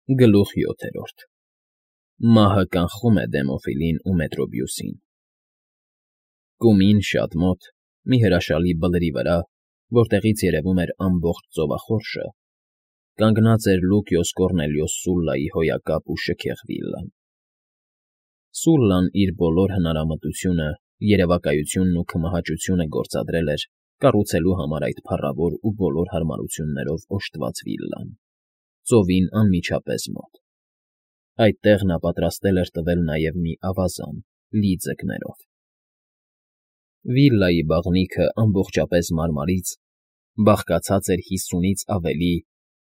Գլուխ 7 Մահը կանխում է Դեմոֆիլին ու Մետրոբիուսին։ Կումին շատ մոտ, մի հրաշալի բլրի վրա, որտեղից երևում էր ամբողջ ծովախորշը, կանգնած էր Լուկիոս Կոռնելիոս Սուլլայի հոյակապ ու շքեղ վիլլան։ Սուլլան իր բոլոր հնարամտությունը, երևակայությունն ու քմահաճությունը գործադրել էր կառուցելու համար այդ փառավոր ու բոլոր հարմարություններով օժտված վիլլան, ծովին անմիջապես մոտ։ Այդտեղ նա պատրաստել էր տվել նաև մի ավազան, լի ձկներով։ Վիլլայի բաղնիքը ամբողջապես մարմարից բաղկացած էր 50-ից ավելի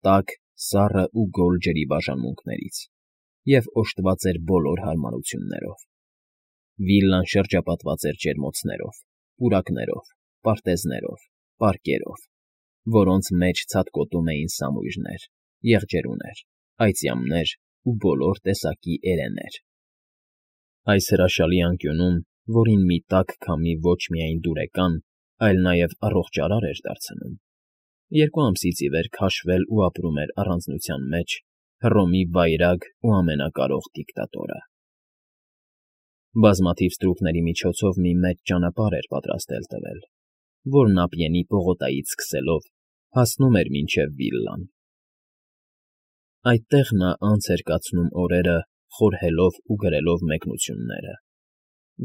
տաք, սառը ու գոլ ջրի բաժանմունքներից և օժտված էր բոլոր հարմարություններով։ Վիլլան շրջապատված էր ջերմոցներով, պուրակներով, պարտեզներով, պարկերով, որոնց մեջ ցատկոտում էին սամույրներ, եղջերուներ, այծյամներ ու բոլոր տեսակի էրեներ։ Այս հրաշալի անկյունում, որին մի տաք քամի ոչ միայն դուրեկան, այլ նաև առողջարար էր դարձնում, 2 ամսից ի վեր քաշվել ու ապրում էր առանձնության մեջ Հռոմի վայրագ ու ամենակարող դիկտատորը։ Բազմաթիվ ստրուկների միջոցով մի մեծ ճանապարհ էր պատրաստել տվել, որն Ափիենի պողոտայից սկսելով հասնում էր մինչև վիլլան։ Այդտեղ նա անց էր կացնում օրերը խորհելով ու գրելով մեկնությունները,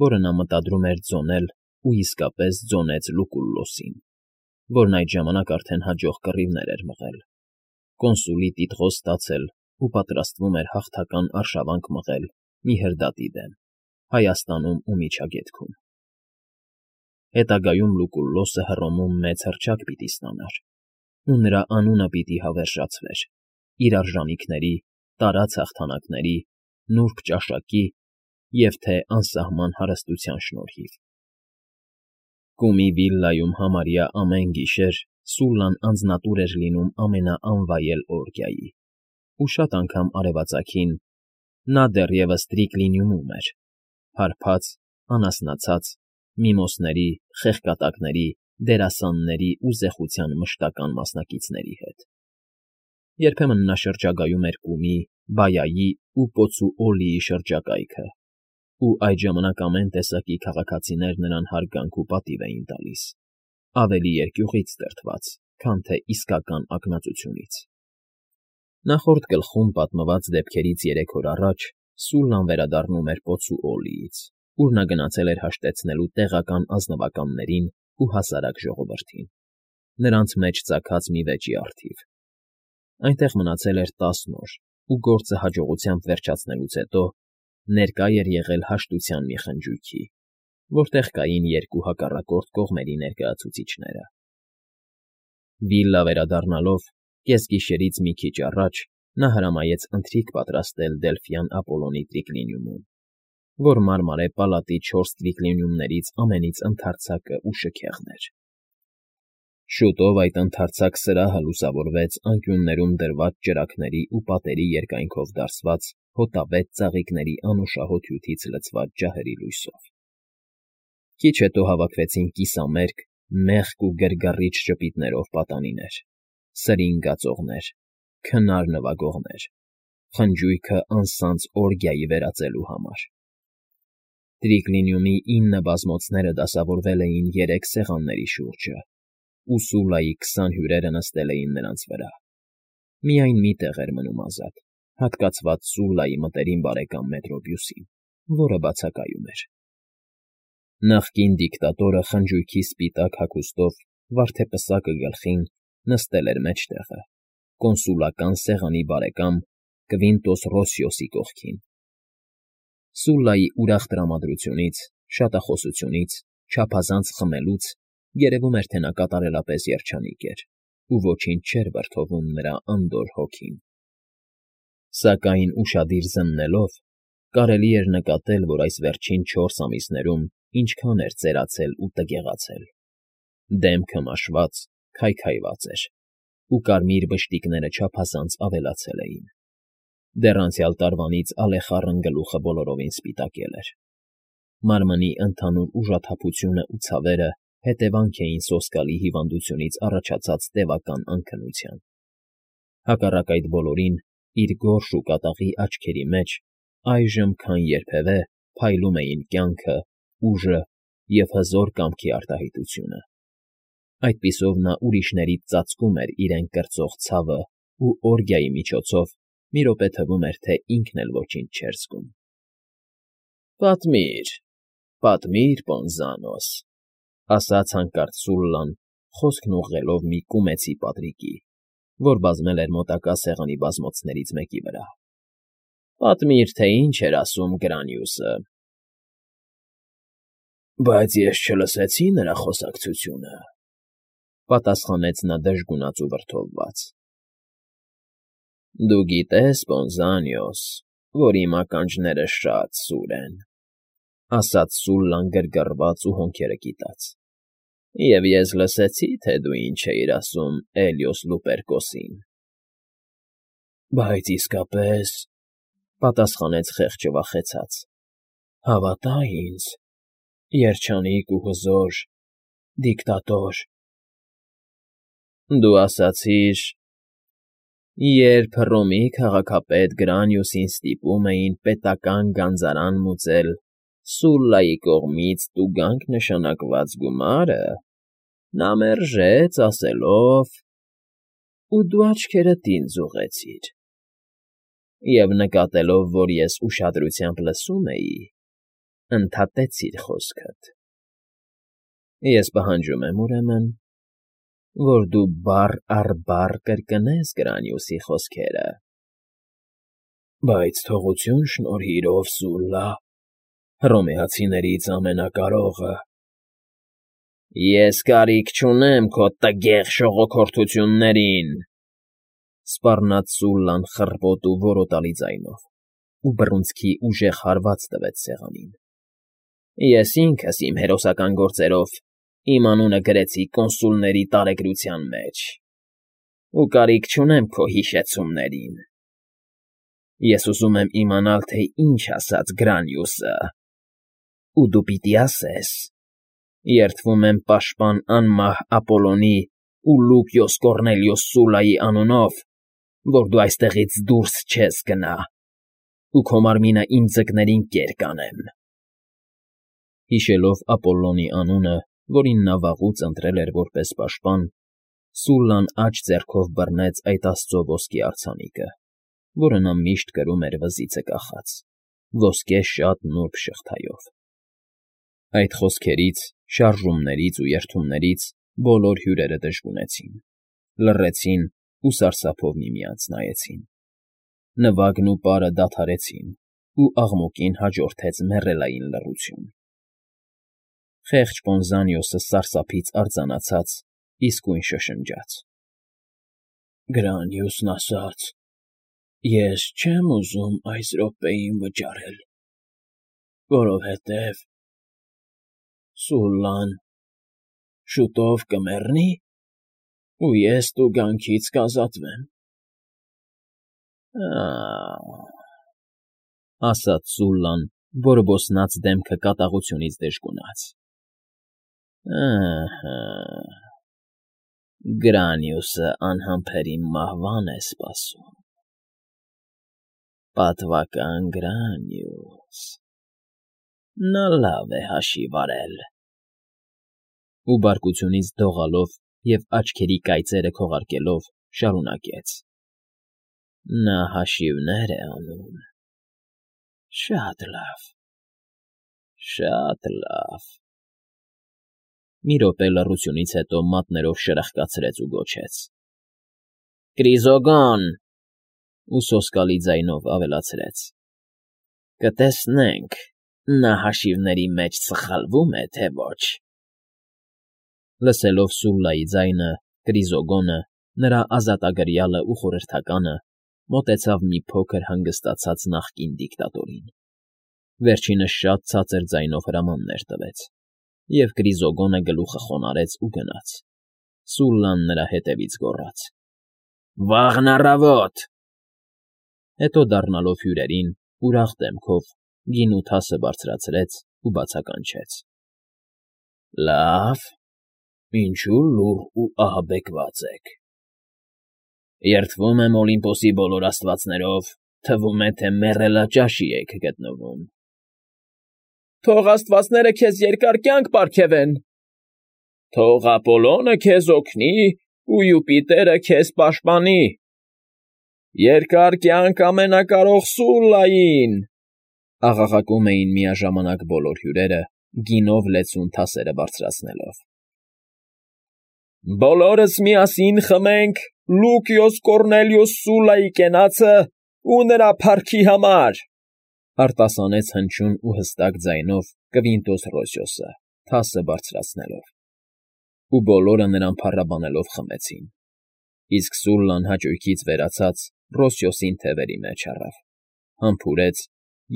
որը նա մտադրում էր ձոնել ու իսկապես ձոնեց Լուկուլլոսին, որն այդ ժամանակ արդեն հաջող կռիվներ էր մղել, կոնսուլի տիտղոս ստացել ու պատրաստվում էր հաղթական արշավանք մղել մի հրդադի դեմ Հայաստանում ու Միջագետքում։ Հետագայում Լուկուլլոսը Հռոմում մեծ հռչակ պիտի ստանար, ու նրա անունը պիտի հավերժացվեր իր արժանիքների, տարած հաղթանակների, նուրբ ճաշակի և թե անսահման հարստության շնորհիվ։ Կումի վիլլայում համարյա ամեն գիշեր Սուլլան անձնատուր էր լինում ամենաանվայել օրգիայի, ու շատ անգամ արևածագին նա դեռևս Տրիկլինիումում էր, հարբած, անասնացած, միմոսների, խեղկատակների, դերասանների ու զեխության մշտական մասնակիցների հետ։ Երբեմն նա շրջագայում էր Կումի, Բայայի ու Պոցուոլիի շրջակայքը, ու այդ ժամանակ ամեն տեսակի քաղաքացիներ նրան հարգանք ու պատիվ էին տալիս, ավելի երկյուղից դրդված, քան թե իսկական ակնածությունից։ Նախորդ գլխում պատմված դեպքերից 3 օր առաջ Սուլլան վերադառնում էր Պոցուոլիից, ուր նա գնացել էր հաշտեցնելու տեղական ազնվականներին ու հասարակ ժողովրդին, նրանց մեջ ծագած մի վեճի առթիվ։ Այնտեղ մնացել էր 10 օր ու գործը հաջողությամբ վերջացնելուց հետո ներկա էր եղել հաշտության մի խնջույքի, որտեղ կային 2 հակառակորդ կողմերի ներկայացուցիչները։ Վիլլա վերադառնալով կեսգիշերից մի քիչ առաջ նա հրամայեց ընթրիք պատրաստել Դելֆյան Ապոլոնի Տրիկլինիումում, որ մարմարե պալատի 4 տրիկլինիումներից ամենից ընդարձակը ու շքեղն էր։ Շուտով այդ ընդարձակ սրահը լուսավորվեց անկյուններում դրված ճրագների ու պատերի երկայնքով դարսված հոտավետ ծաղիկների անուշահոտ հյութից լցված ջահերի լույսով։ Քիչ հետո հավաքվեցին կիսամերկ, մեղք ու գրգռիչ ժպիտներով պատանիներ, սրին գածողներ, քնար նվագողներ, խնջույքը անսանձ օրգիայի վերածելու համար։ Տրիկլինիումի 9 բազմոցները դասավորվել էին 3 սեղանների շուրջը, ու Սուլլայի 20 հյուրերը նստել էին նրանց վրա։ Միայն մի տեղ էր մնում ազատ, հատկացված Սուլլայի մտերիմ բարեկամ Մետրոբիուսին, որը բացակայում էր։ Նախկին դիկտատորը խնջույքի սպիտակ հագուստով վարդեպսակը գլխին նստել էր մեջտեղը, կոնսուլական սեղանի բարեկամ Կվինտոս Ռոսիոսի կողքին։ Սուլլայի ուրախ տրամադրությունից, շատախոսությունից, չափազանց խմելուց երևում էր, թե նա կատարելապես երջանիկ էր, ու ոչինչ չէր վրդովում նրա անդորր հոգին։ Սակայն ուշադիր զննելով կարելի էր նկատել, որ այս վերջին 4 ամիսներում ինչքան էր ծերացել ու տգեղացել։ Դեմքը մաշված, քայքայված էր, ու կարմիր բշտիկները չափազանց ավելացել էին։ Դեռ անցյալ տարվանից ալեխառն գլուխը բոլորովին սպիտակել էր։ Մարմնի ընդհանուր ուժաթափությունն ու ցավերը հետևանք էին սոսկալի հիվանդությունից առաջացած տևական անքնության։ Հակառակ այդ բոլորին, իր գորշ ու կատաղի աչքերի մեջ այժմ քան երբևէ փայլում էին կյանքը, ուժը և հզոր կամքի արտահայտությունը. այդպիսով նա ուրիշներից ծածկում էր իրեն կրծող ցավը ու օրգիայի միջոցով մի րոպե թվում էր, թե ինքն էլ ոչինչ չէր զգում։ «Պատմիր, պատմիր, Պոնզանոս», ասաց հանկարծ Սուլլան, խոսքն ուղղելով մի կումեցի պատրիկի, որ բազմել էր մոտակա սեղանի բազմոցներից մեկի վրա։ «Պատմիր, թե ինչ էր ասում Գրանիուսը»։ «Բայց ես չլսեցի նրա խոսակցությունը», պատասխանեց նա դժգունած ու վրդովված։ «Դու գիտես, Պոնզանիոս, որ իմ ականջները շատ սուր են», ասաց Սուլլան գրգռված ու հոնքերը կիտած։ «Եվ ես լսեցի, թե դու ինչ էիր ասում Էլիոս Լուպերկոսին»։ «Բայց իսկապես,֊ պատասխանեց խեղճը վախեցած,֊ հավատա ինձ, երջանիկ ու հզոր դիկտատոր»։ «Դու ասացիր. երբ Հռոմի քաղաքապետ Գրանիուսին ստիպում էին պետական գանձարան մուծել Սուլլայի կողմից տուգանք նշանակված գումարը, նա մերժեց, ասելով. ու դու աչքերդ ինձ ուղղեցիր, և նկատելով, որ ես ուշադրությամբ լսում էի, ընդհատեցիր խոսքդ։ Ես պահանջում եմ, ուրեմն, որ դու բառ առ բառ կրկնես Գրանիուսի խոսքերը»։ «Բայց թողություն շնորհիր, ով Սուլլա, հռոմեացիներից ամենակարողը»։ «Ես կարիք չունեմ քո տգեղ շողոքորթություններին», սպառնաց Սուլլան խռպոտ ու որոտալի ձայնով, ու բռունցքի ուժեղ հարված տվեց սեղանին։ «Ես ինքս իմ հերոսական գործերով իմ անունը գրեցի կոնսուլների տարեգրության մեջ, ու կարիք չունեմ քո հիշեցումներին։ Ես ուզում եմ իմանալ, թե ինչ ասաց Գրանիուսը, ու դու պիտի ասես։ Երդվում եմ պաշտպան անմահ Ապոլոնի ու Լուկիոս Կոռնելիոս Սուլլայի անունով, որ դու այստեղից դուրս չես գնա, ու քո մարմինը իմ ձկներին կեր կանեմ»։ Հիշելով Ապոլլոնի անունը, որին նա վաղուց ընտրել էր որպես պաշտպան, Սուլլան աջ ձեռքով բռնեց այդ աստծո ոսկի արձանիկը, որը նա միշտ կրում էր վզիցը կախած, ոսկե շատ նուրբ շղթայով։ Այդ խոսքերից, շարժումներից ու երդումներից բոլոր հյուրերը դժգունեցին, լռեցին ու սարսափով միմյանց նայեցին։ Նվագն ու պարը դադարեցին, ու աղմուկին հաջորդեց մեռելային լռություն։ Խեղճ Պոնզանիոսը սարսափից արձանացած իսկույն շշնջաց. «Գրանիուսն ասաց. ես չեմ ուզում այս րոպեին վճարել, որովհետև Սուլլան շուտով կմեռնի, ու ես տուգանքից կազատվեմ»։ «Ա՜», ասաց Սուլլան, բորբոսնած դեմքը կատաղությունից դժգունաց։ «Ըհը, Գրանիուսը անհամբերին մահվան է սպասում։ Պատվական Գրանիուս… նա լավ է հաշիվ արել»։ Ու բարկությունից դողալով և աչքերի կայծերը քողարկելով շարունակեց. «Նա հաշիվներ է անում… շատ լավ, շատ լավ»։ Մի րոպե լռությունից հետո մատներով շրխկացրեց ու գոչեց. «Կրիզոգոն», ու սոսկալի ձայնով ավելացրեց. «Կտեսնենք, նա հաշիվների մեջ սխալվո՞ւմ է, թե ոչ»։ Լսելով Սուլլայի ձայնը, Կրիզոգոնը, նրա ազատագրյալը ու խորհրդականը, մոտեցավ մի փոքր հանգստացած նախկին դիկտատորին։ Վերջինս շատ ցածր ձայնով հրամաններ տվեց, և Կրիզոգոնը գլուխը խոնարհեց ու գնաց։ Սուլլան նրա հետևից գոռաց. «Վաղն առավոտ»։ Հետո դառնալով հյուրերին, ուրախ դեմքով գինու թասը բարձրացրեց ու բացականչեց. «Լավ, ինչու լուռ ու ահաբեկված եք։ Երդվում եմ Օլիմպոսի բոլոր աստվածներով, թվում է, թե մեռելաճաշի եք գտնվում։ Թող աստվածները քեզ երկար կյանք պարգևեն։ Թող Ապոլոնը քեզ օգնի ու Յուպիտերը քեզ պաշտպանի։ Երկար կյանք ամենակարող Սուլլային, աղաղակում էին միաժամանակ բոլոր հյուրերը, գինով լեցուն թասերը բարձրացնելով։ Բոլորս միասին խմենք Լուկիոս Կոռնելիուս Սուլլայի կենացը ու նրա փառքի համար, արտասանեց հնչյուն ու հստակ ձայնով Կվինտոս Ռոսիոսը, թասը բարձրացնելով։ Ու բոլորը նրան փառաբանելով խմեցին։ Իսկ Սուլլան հաճույքից վերացած Ռոսիոսին թևերի մեջ առավ, համբուրեց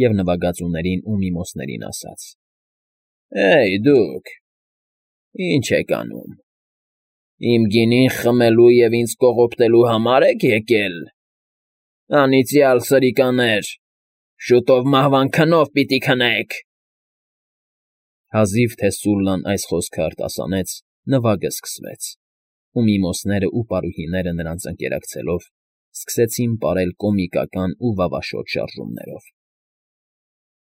և նվագածուներին ու միմոսներին ասաց. Էյ դուք, ի՞նչ եք անում։ Իմ գինին խմելու և ինձ կողոպտելու համար եք եկել։ Անիծյալ սրիկաներ, շուտով մահվան քնով պիտի քնեք։ Հազիվ թե Սուլլան այս խոսքը արտասանեց, նվագը սկսվեց, ու միմոսները ու պարուհիները նրանց ընկերակցելով սկսեցին պարել կոմիկական ու վավաշոտ շարժումներով։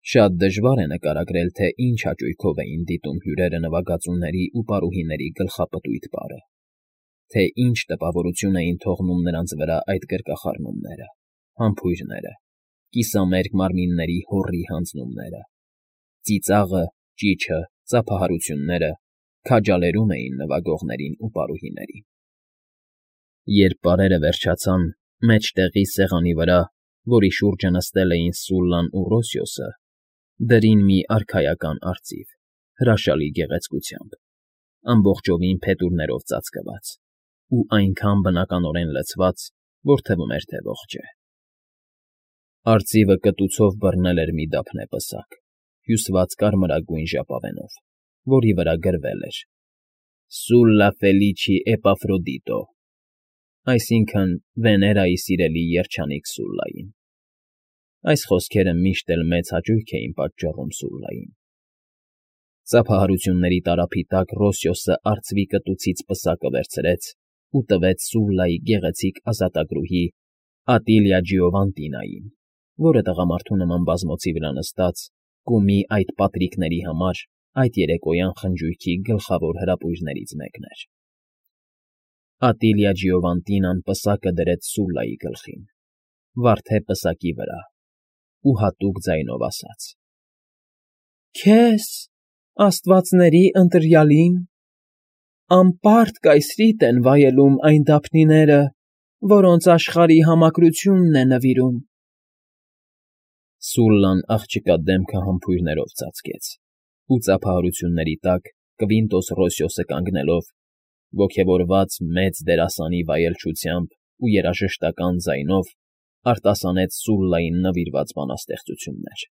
Շատ դժվար է նկարագրել, թե ինչ հաճույքով էին դիտում հյուրերը նվագածուների ու պարուհիների գլխապտույտ պարը, թե ինչ տպավորություն էին թողնում նրանց վրա այդ կրկախառնումները, համբույրները, կիսամերկ մարմինների հոռի հանձնումները, ծիծաղը, ճիչը, ծափահարությունները քաջալերում էին նվագողներին ու պարուհիներին։ Երբ պարերը վերջացան, մեջտեղի սեղանի վրա, որի շուրջը նստել էին Սուլլան ու Ռոսիոսը, դրին մի արքայական արծիվ, հրաշալի գեղեցկությամբ, ամբողջովին փետուրներով ծածկված ու այնքան բնականորեն լցված, որ թվում էր, թե ողջ է։ Արծիվը կտուցով բռնել էր մի դափնե պսակ, հյուսված կարմրագույն ժապավենով, որի վրա գրվել էր. Sulla Felici Epafrodito, այսինքն Վեներայի սիրելի երջանիկ Սուլլային։ Այս խոսքերը միշտ էլ մեծ հաճույք էին պատճառում Սուլլային։ Ծափահարությունների տարափի տակ Ռոսիոսը արծվի կտուցից պսակը վերցրեց ու տվեց Սուլլայի գեղեցիկ ազատագրուհի Ատիլիա Ջիովանտինային, որը տղամարդու նման բազմոցի վրա նստած կումի այդ պատրիկների համար այդ երեկոյան խնջույքի գլխավոր հրապույրներից մեկն էր։ Ատիլիա Ջիովանտինան պսակը դրեց Սուլլայի գլխին, վարդե պսակի վրա ու հատուկ ձայնով ասաց. Քեզ, աստվածների ընտրյալին, անպարտ կայսրիտ են վայելում այն դափնիները, որոնց աշխարհի համակրությունն է նվիրում։ Սուլլան աղջկա դեմքը համբույրներով ծածկեց, ու ծափահարությունների տակ Կվինտոս Ռոսիոսը կանգնելով, ոգևորված մեծ դերասանի վայելչությամբ ու երաժշտական ձայնով արտասանեց Սուլլային նվիրված բանաստեղծություններ։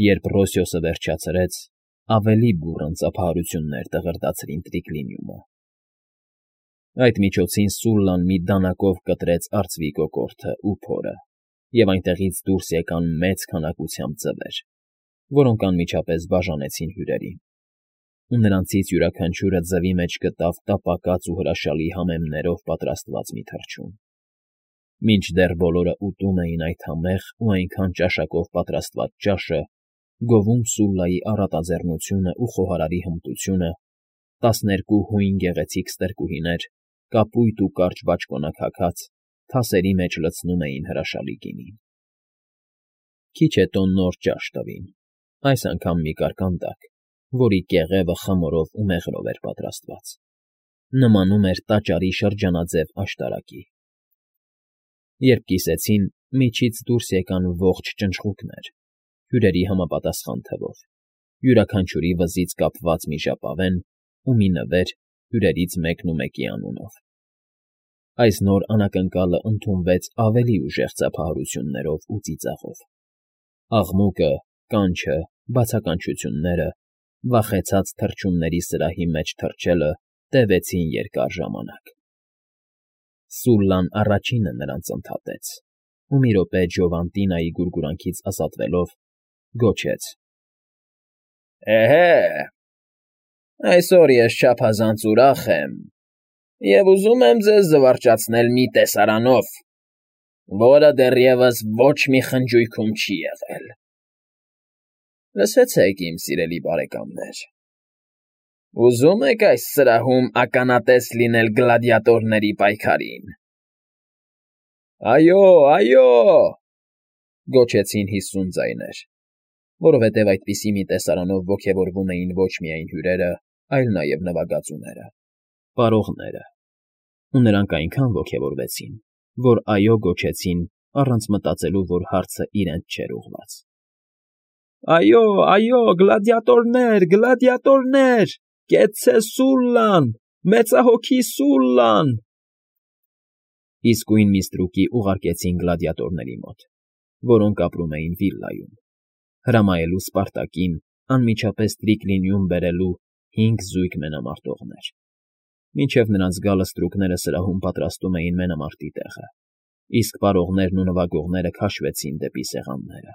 Երբ Ռոսիոսը վերջացրեց, ավելի բուռն ծափահարություններ տղրտացրին տրիկլինիումը։ Այդ միջոցին Սուլլան մի դանակով կտրեց արծվի կոկորդը ու փորը, և այնտեղից դուրս եկան մեծ քանակությամբ ձվեր, որոնք անմիջապես բաժանեցին հյուրերին, ու նրանցից յուրաքանչյուրը ձվի մեջ գտավ տապակած ու հրաշալի համեմներով պատրաստված մի թռչուն։ Մինչդեռ բոլորը ուտում էին այդ համեղ ու այնքան ճաշակով պատրաստված ճաշը, գովում Սուլլայի առատաձեռնությունը ու խոհարարի հմտությունը, 12 հույն գեղեցիկ ստրկուհիներ, կապույտ ու կարճ բաճկոնակ թասերի մեջ լցնում էին հրաշալի գինին։ Քիչ հետո նոր ճաշ տվին, այս անգամ մի կարկանդակ, որի կեղևը խմորով ու մեղրով էր պատրաստված, նմանում էր տաճարի շրջանաձև աշտարակի։ Երբ կիսեցին, միջից դուրս եկան ողջ ճնճղուկներ, հյուրերի համապատասխան թվով, յուրաքանչյուրի վզից կապված մի ժապավեն ու մի նվեր հյուրերից մեկնումեկի անունով։ Այս նոր անակնկալը ընդունվեց ավելի ուժեղ ծափահարություններով ու ծիծաղով։ Աղմուկը, կանչը, բացականչությունները, վախեցած թռչունների սրահի մեջ թռչելը տևեցին երկար ժամանակ։ Սուլլան առաջինը նրանց ընդհատեց, ու մի րոպե Ջովանտինայի գուրգուրանքից ազատվելով գոչեց. Էհե, այսօր ես չափազանց ուրախ եմ։ Եվ ուզում եմ ձեզ զվարճացնել մի տեսարանով, որը դեռևս ոչ մի խնջույքում չի եղել. լսեցեք, իմ սիրելի բարեկամներ, ուզում եք այս սրահում ականատես լինել գլադիատորների պայքարին։ Այո, այո, գոչեցին 50 ձայներ, որովհետև այդպիսի մի տեսարանով ոգևորվում էին ոչ միայն հյուրերը, այլ նաև նվագածուները, պարողները, ու նրանք այնքան ոգևորվեցին, որ այո գոչեցին առանց մտածելու, որ հարցը իրենց չէր ուղղված։ Այո, այո, գլադիատորներ, գլադիատորներ, կեցցե Սուլլան, մեծահոգի Սուլլան… Իսկույն Միստրուկի ուղարկեցին գլադիատորների մոտ, որոնք ապրում էին վիլլայում, հրամայելու Սպարտակին անմիջապես Տրիկլինիում բերելու 5 զույգ մենամարտողներ։ Մինչև նրանց գալը ստրուկները սրահում պատրաստում էին մենամարտի տեղը, իսկ պարողներն ու նվագողները քաշվեցին դեպի սեղանները։